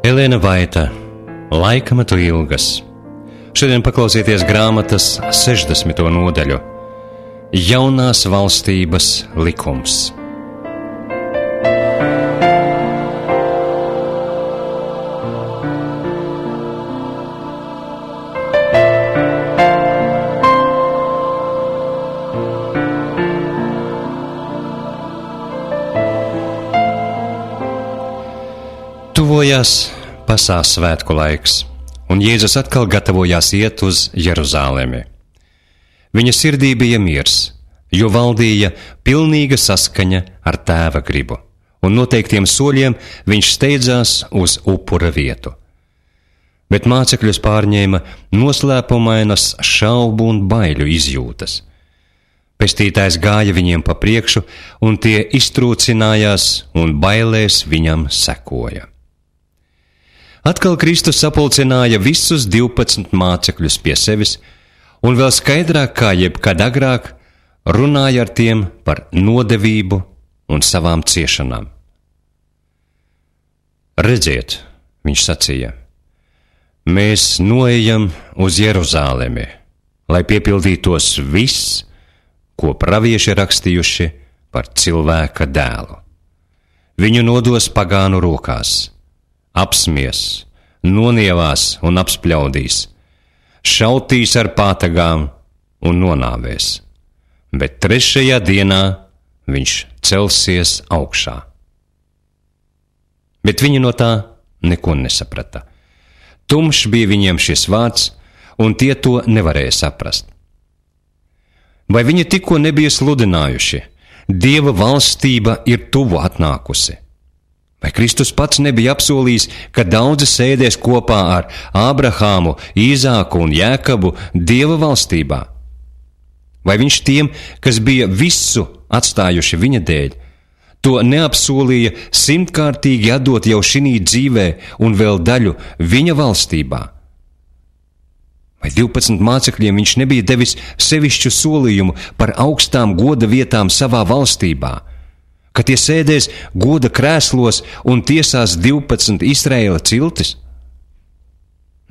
Elēna Vaita, Laikmetu ilgas. Šodien paklausieties grāmatas 60. nodaļu Jaunās valstības likums. Tuvojās Pasās svētku laiks, un Jēzus atkal gatavojās iet uz Jeruzālemi. Viņa sirdī bija miers, jo valdīja pilnīga saskaņa ar Tēva gribu, un noteiktiem soļiem viņš steidzās uz upura vietu. Bet mācekļus pārņēma noslēpumainas šaubu un baiļu izjūtas. Pestītājs gāja viņiem pa priekšu, un tie iztrūcinājās un bailēs viņam sekoja. Atkal Kristus sapulcināja visus 12 mācekļus pie sevis, un vēl skaidrāk kā jebkad agrāk runāja ar tiem par nodevību un savām ciešanām. Redziet, viņš sacīja, mēs noejam uz Jeruzālemi, lai piepildītos viss, ko pravieši rakstījuši par cilvēka dēlu. Viņu nodos pagānu rokās, apsmies, nonievās un apspļaudīs, šautīs ar pātagām un nonāvēs, bet 3. dienā viņš celsies augšā. Bet viņi no tā neko nesaprata. Tumšs bija viņiem šis vārds, un tie to nevarēja saprast. Vai viņi tikko nebija sludinājuši, Dieva valstība ir tuvu atnākusi? Vai Kristus pats nebija apsolījis, ka daudzi sēdēs kopā ar Ābrahāmu, Īzāku un Jēkabu Dieva valstībā? Vai viņš tiem, kas bija visu atstājuši viņa dēļ, to neapsolīja 100-kārtīgi atdot jau šinī dzīvē un vēl daļu viņa valstībā? Vai 12 mācekļiem viņš nebija devis sevišķu solījumu par augstām goda vietām savā valstībā, ka tie sēdēs goda krēslos un tiesās 12 Izraēla ciltis?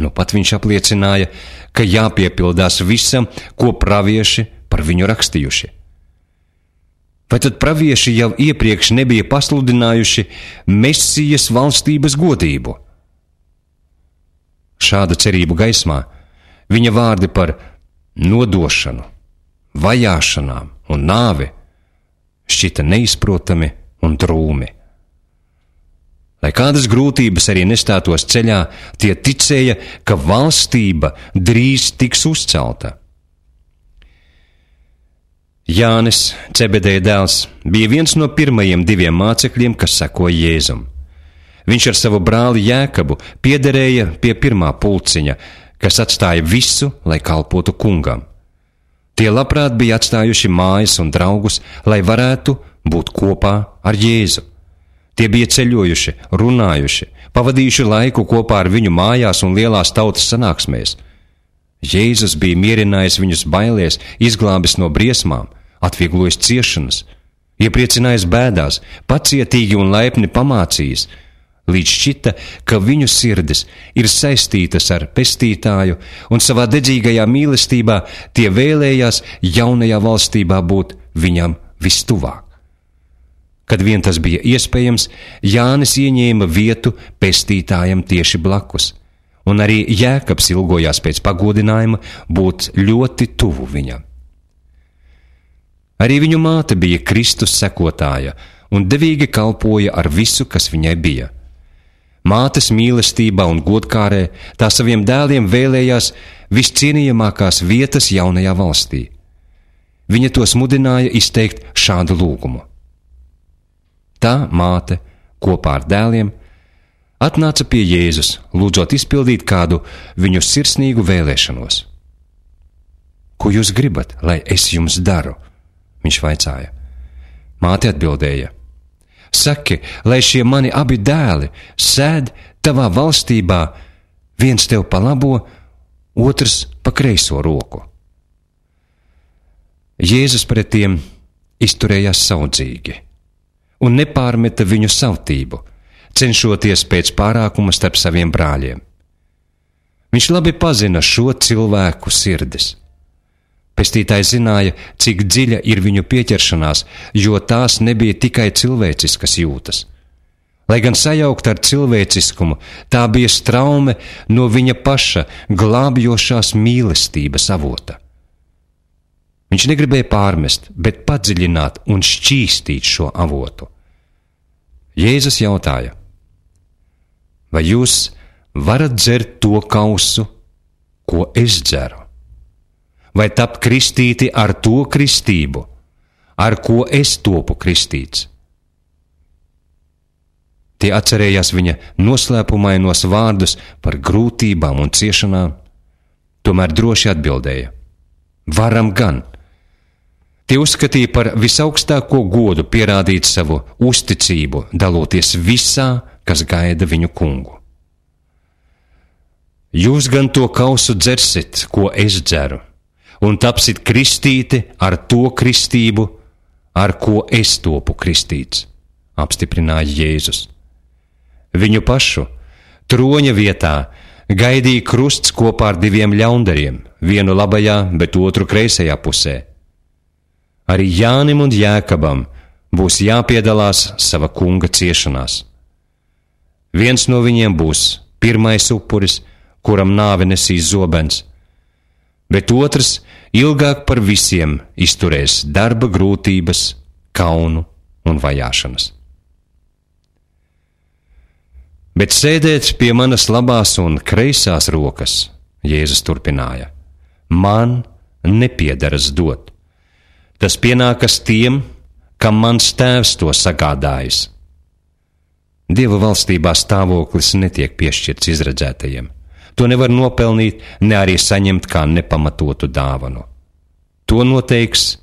Nu pat viņš apliecināja, ka jāpiepildās visam, ko pravieši par viņu rakstījuši. Vai tad pravieši jau iepriekš nebija pasludinājuši Mesijas valstības godību? Šāda cerību gaismā viņa vārdi par nodošanu, vajāšanām un nāvi šķita neizprotami un drūmi. Lai kādas grūtības arī nestātos ceļā, tie ticēja, ka valstība drīz tiks uzcelta. Jānis, Cebedeja dēls, bija viens no pirmajiem 2 mācekļiem, kas sekoja Jēzum. Viņš ar savu brāli Jēkabu piederēja pie pirmā pulciņa, kas atstāja visu, lai kalpotu kungam. Tie labprāt bija atstājuši mājas un draugus, lai varētu būt kopā ar Jēzu. Tie bija ceļojuši, runājuši, pavadījuši laiku kopā ar viņu mājās un lielās tautas sanāksmēs. Jēzus bija mierinājis viņus bailēs, izglābis no briesmām, atvieglojis ciešanas, iepriecinājis bēdās, pacietīgi un laipni pamācījis, līdz šķita, ka viņu sirdis ir saistītas ar pestītāju, un savā dedzīgajā mīlestībā tie vēlējās jaunajā valstībā būt viņam vistuvāk. Kad vien tas bija iespējams, Jānis ieņēma vietu pestītājam tieši blakus, un arī Jēkabs ilgojās pēc pagodinājuma būt ļoti tuvu viņam. Arī viņu māte bija Kristus sekotāja un devīgi kalpoja ar visu, kas viņai bija. Mātes mīlestībā un godkārē tā saviem dēliem vēlējās viscienījamākās vietas jaunajā valstī. Viņa tos mudināja izteikt šādu lūgumu. Tā māte kopā ar dēliem atnāca pie Jēzus, lūdzot izpildīt kādu viņu sirsnīgu vēlēšanos. Ko jūs gribat, lai es jums daru? Viņš vaicāja. Māte atbildēja. Saki, lai šie mani abi dēli sēd tavā valstībā, viens tev pa labo, otrs pa kreiso roku. Jēzus pret tiem izturējās saudzīgi un nepārmeta viņu savtību, cenšoties pēc pārākuma starp saviem brāļiem. Viņš labi pazina šo cilvēku sirdis. Pestītājs zināja, cik dziļa ir viņu pieķeršanās, jo tās nebija tikai cilvēciskas jūtas. Lai gan sajaukt ar cilvēciskumu, tā bija straume no viņa paša glābjošās mīlestības avota. Viņš negribēja pārmest, bet padziļināt un šķīstīt šo avotu. Jēzus jautāja: vai jūs varat dzert to kausu, ko es dzeru? Vai tapt kristīti ar to kristību, ar ko es topu kristīts? Tie atcerējās viņa noslēpumainos vārdus par grūtībām un ciešanām, tomēr droši atbildēja: varam gan. Tie uzskatīja par visaugstāko godu pierādīt savu uzticību, daloties visā, kas gaida viņu kungu. Jūs gan to kausu dzersit, ko es dzeru, un tapsit kristīti ar to kristību, ar ko es topu kristīts, apstiprināja Jēzus. Viņu pašu troņa vietā gaidīja krusts kopā ar 2 ļaundariem, vienu labajā, bet otru kreisajā pusē. Arī Jānim un Jēkabam būs jāpiedalās sava kunga ciešanās. Viens no viņiem būs pirmais upuris, kuram nāve nesīs zobens, bet otrs ilgāk par visiem izturēs darba grūtības, kaunu un vajāšanas. Bet sēdēt pie manas labās un kreisās rokas, Jēzus turpināja, man nepiederas dot. Tas pienākas tiem, kam mans tēvs to sagādājis. Dieva valstībā stāvoklis netiek piešķirts izredzētajiem. To nevar nopelnīt, ne arī saņemt kā nepamatotu dāvanu. To noteiks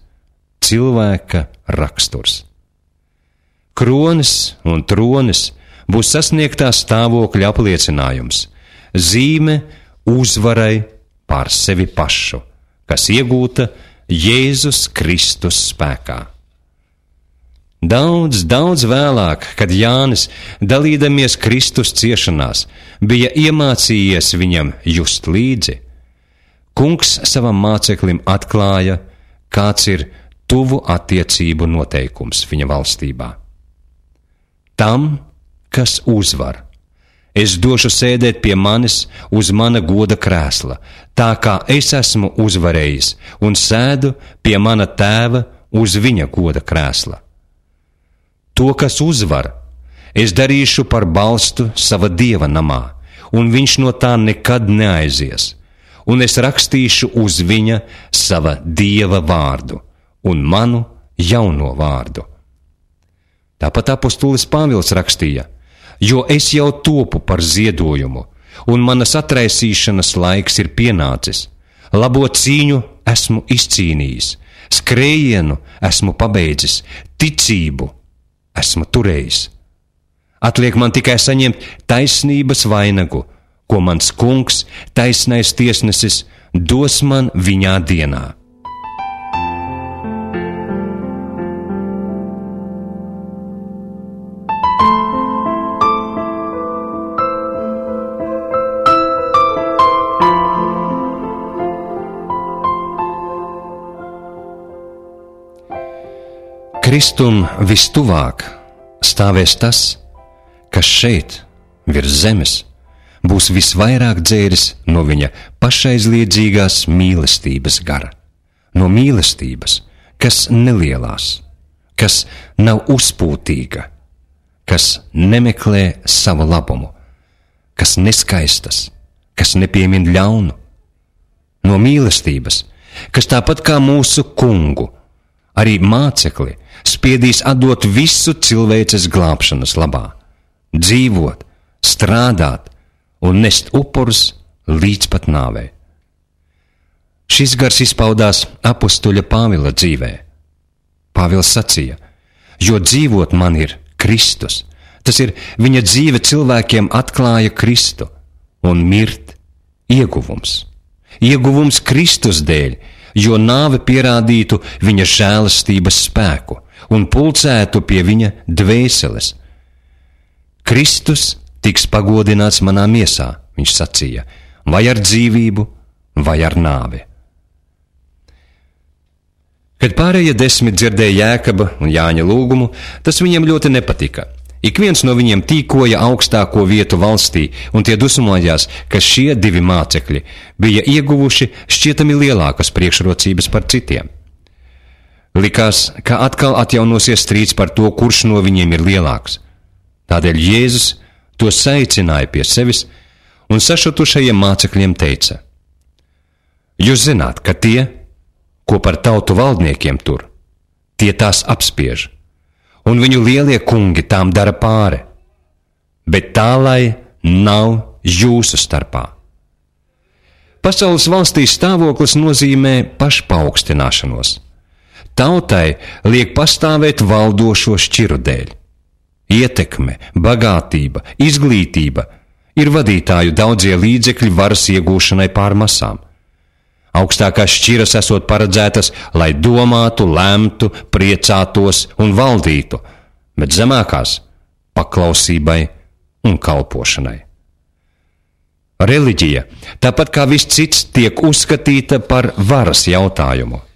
cilvēka raksturs. Kronis un tronis būs sasniegtā stāvokļa apliecinājums, zīme uzvarai pār sevi pašu, kas iegūta Jēzus Kristus spēkā. Daudz vēlāk, kad Jānis, dalīdamies Kristus ciešanās, bija iemācījies viņam just līdzi, kungs savam māceklim atklāja, kāds ir tuvu attiecību noteikums viņa valstībā. Tam, kas uzvar, es došu sēdēt pie manis uz mana goda krēsla, tā kā es esmu uzvarējis un sēdu pie mana tēva uz viņa goda krēsla. To, kas uzvar, es darīšu par balstu sava dieva namā, un viņš no tā nekad neaizies, un es rakstīšu uz viņa sava dieva vārdu un manu jauno vārdu. Tāpat apostolis Pāvils rakstīja: jo es jau topu par ziedojumu, un manas atraisīšanas laiks ir pienācis. Labo cīņu esmu izcīnījis, skrējienu esmu pabeidzis, ticību esmu turējis. Atliek man tikai saņemt taisnības vainagu, ko mans kungs, taisnais tiesnesis, dos man viņā dienā. Kristum vistuvāk stāvēs tas, kas šeit, virs zemes, būs visvairāk dzēris no viņa pašaizliedzīgās mīlestības gara, no mīlestības, kas nelielās, kas nav uzpūtīga, kas nemeklē savu labumu, kas neskaistas, kas nepiemin ļaunu, no mīlestības, kas tāpat kā mūsu kungu, arī mācekli spiedīs atdot visu cilvēces glābšanas labā, dzīvot, strādāt un nest upurus līdz pat nāvei. Šis gars izpaudās apustuļa Pāvila dzīvē. Pāvils sacīja: jo dzīvot man ir Kristus, tas ir viņa dzīve cilvēkiem atklāja Kristu, un mirt ieguvums. Ieguvums Kristus dēļ, jo nāve pierādītu viņa žēlastības spēku un pulcētu pie viņa dvēseles. Kristus tiks pagodināts manā miesā, viņš sacīja, vai ar dzīvību, vai ar nāvi. Kad pārējie 10 dzirdēja Jēkaba un Jāņa lūgumu, tas viņiem ļoti nepatika. Ik viens no viņiem tīkoja augstāko vietu valstī, un tie dusmojās, ka šie 2 mācekļi bija ieguvuši šķietami lielākas priekšrocības par citiem. Likās, ka atkal atjaunosies strīds par to, kurš no viņiem ir lielāks. Tādēļ Jēzus to saicināja pie sevis un sašutušajiem mācekļiem teica: Jūs zināt, ka tie, ko par tautu valdniekiem tur, tie tās apspiež, un viņu lielie kungi tām dara pāri, bet tā lai nav jūsu starpā. Pasaules valstīs stāvoklis nozīmē pašpaaugstināšanos. Tautai liek pastāvēt valdošo šķiru dēļ. Ietekme, bagātība, izglītība ir vadītāju daudzie līdzekļi varas iegūšanai pār masām. Augstākās šķiras esot paredzētas, lai domātu, lemtu, priecātos un valdītu, bet zemākās paklausībai un kalpošanai. Reliģija, tāpat kā viss cits, tiek uzskatīta par varas jautājumu.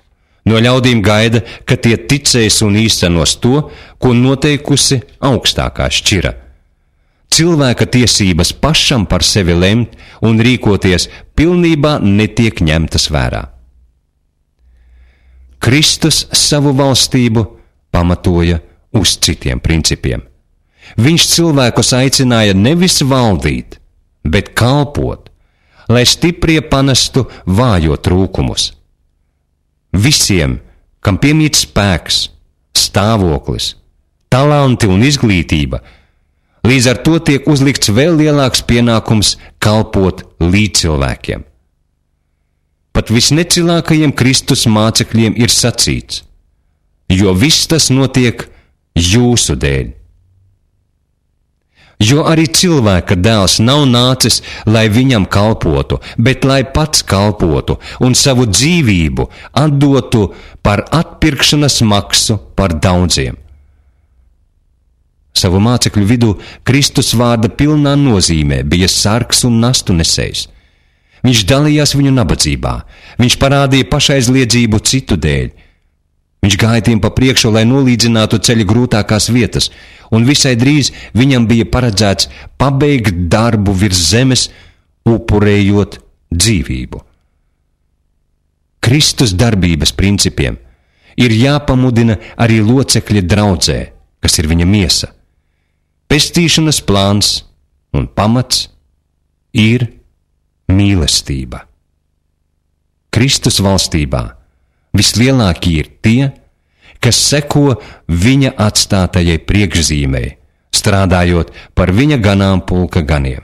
No ļaudīm gaida, ka tie ticēs un īstenos to, ko noteikusi augstākā šķira. Cilvēka tiesības pašam par sevi lemt un rīkoties pilnībā netiek ņemtas vērā. Kristus savu valstību pamatoja uz citiem principiem. Viņš cilvēkus aicināja nevis valdīt, bet kalpot, lai stiprie panestu vājo trūkumus. Visiem, kam piemīt spēks, stāvoklis, talanti un izglītība, līdz ar to tiek uzlikts vēl lielāks pienākums kalpot līdzcilvēkiem. Pat visnecilākajiem Kristus mācekļiem ir sacīts, jo viss tas notiek jūsu dēļ. Jo arī cilvēka dēls nav nācis, lai viņam kalpotu, bet lai pats kalpotu un savu dzīvību atdotu par atpirkšanas maksu par daudziem. Savu mācekļu vidū Kristus vārda pilnā nozīmē bija sargs un nastu nesējs. Viņš dalījās viņu nabadzībā, viņš parādīja pašaizliedzību citu dēļ. Viņš gāja tiem pa priekšu, lai nolīdzinātu ceļa grūtākās vietas, un visai drīz viņam bija paredzēts pabeigt darbu virs zemes, upurējot dzīvību. Kristus darbības principiem ir jāpamudina arī locekļi draudzē, kas ir viņa miesa. Pestīšanas plāns un pamats ir mīlestība. Kristus valstībā vislielākie ir tie, kas seko viņa atstātajai priekšzīmei, strādājot par viņa ganāmpulka ganiem.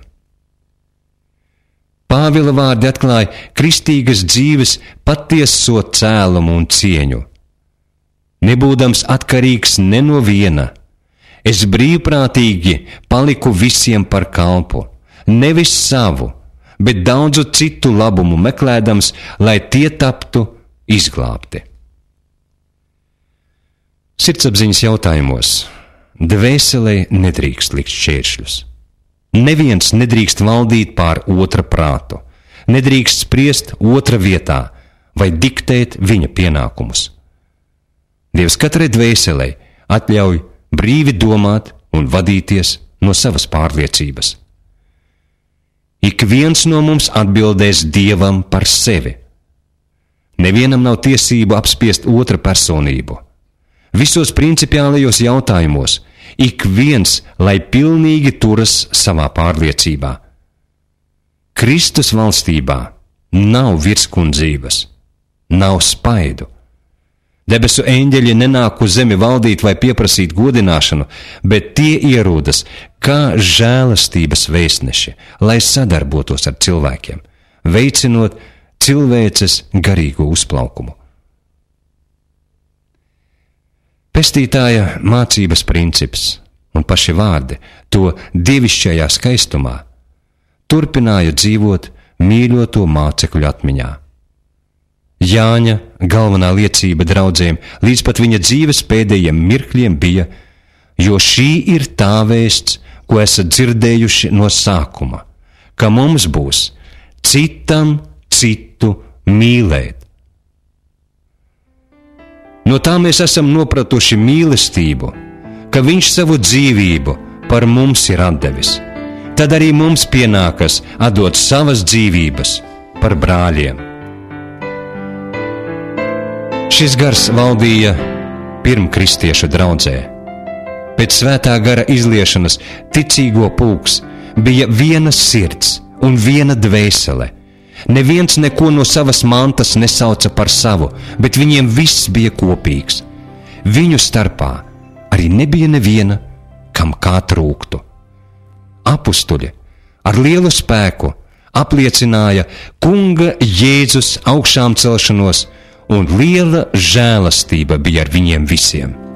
Pāvila vārdi atklāja kristīgas dzīves patieso cēlumu un cieņu. Nebūdams atkarīgs ne no viena, es brīvprātīgi paliku visiem par kalpu, nevis savu, bet daudzu citu labumu meklēdams, lai tie taptu izglābti. Sirdsapziņas jautājumos dvēselei nedrīkst likt šķēršļus. Neviens nedrīkst valdīt pār otra prātu, nedrīkst spriest otra vietā vai diktēt viņa pienākumus. Dievs katrai dvēselei atļauj brīvi domāt un vadīties no savas pārliecības. Ik viens no mums atbildēs Dievam par sevi. Nevienam nav tiesību apspiest otra personību. Visos principiālajos jautājumos ik viens, lai pilnīgi turas savā pārliecībā. Kristus valstībā nav virskundzības, nav spaidu. Debesu eņģeļi nenāk uz zemi valdīt vai pieprasīt godināšanu, bet tie ierodas kā žēlastības vēstneši, lai sadarbotos ar cilvēkiem, veicinot cilvēces garīgo uzplaukumu. Pestītāja mācības princips un paši vārdi to dievišķajā skaistumā turpināja dzīvot mīļoto mācekļu atmiņā. Jāņa galvenā liecība draudzēm līdz pat viņa dzīves pēdējiem mirkļiem bija, jo šī ir tā vēsts, ko esat dzirdējuši no sākuma, ka mums būs citam citu mīlēt. No tā mēs esam nopratuši mīlestību, ka viņš savu dzīvību par mums ir atdevis. Tad arī mums pienākas atdot savas dzīvības par brāļiem. Šis gars valdīja pirmkristiešu draudzē. Pēc svētā gara izliešanas ticīgo pulks bija viena sirds un viena dvēsele. Neviens neko no savas mantas nesauca par savu, bet viņiem viss bija kopīgs. Viņu starpā arī nebija neviena, kam kā trūktu. Apustuļi ar lielu spēku apliecināja Kunga Jēzus augšām celšanos, un liela žēlastība bija ar viņiem visiem.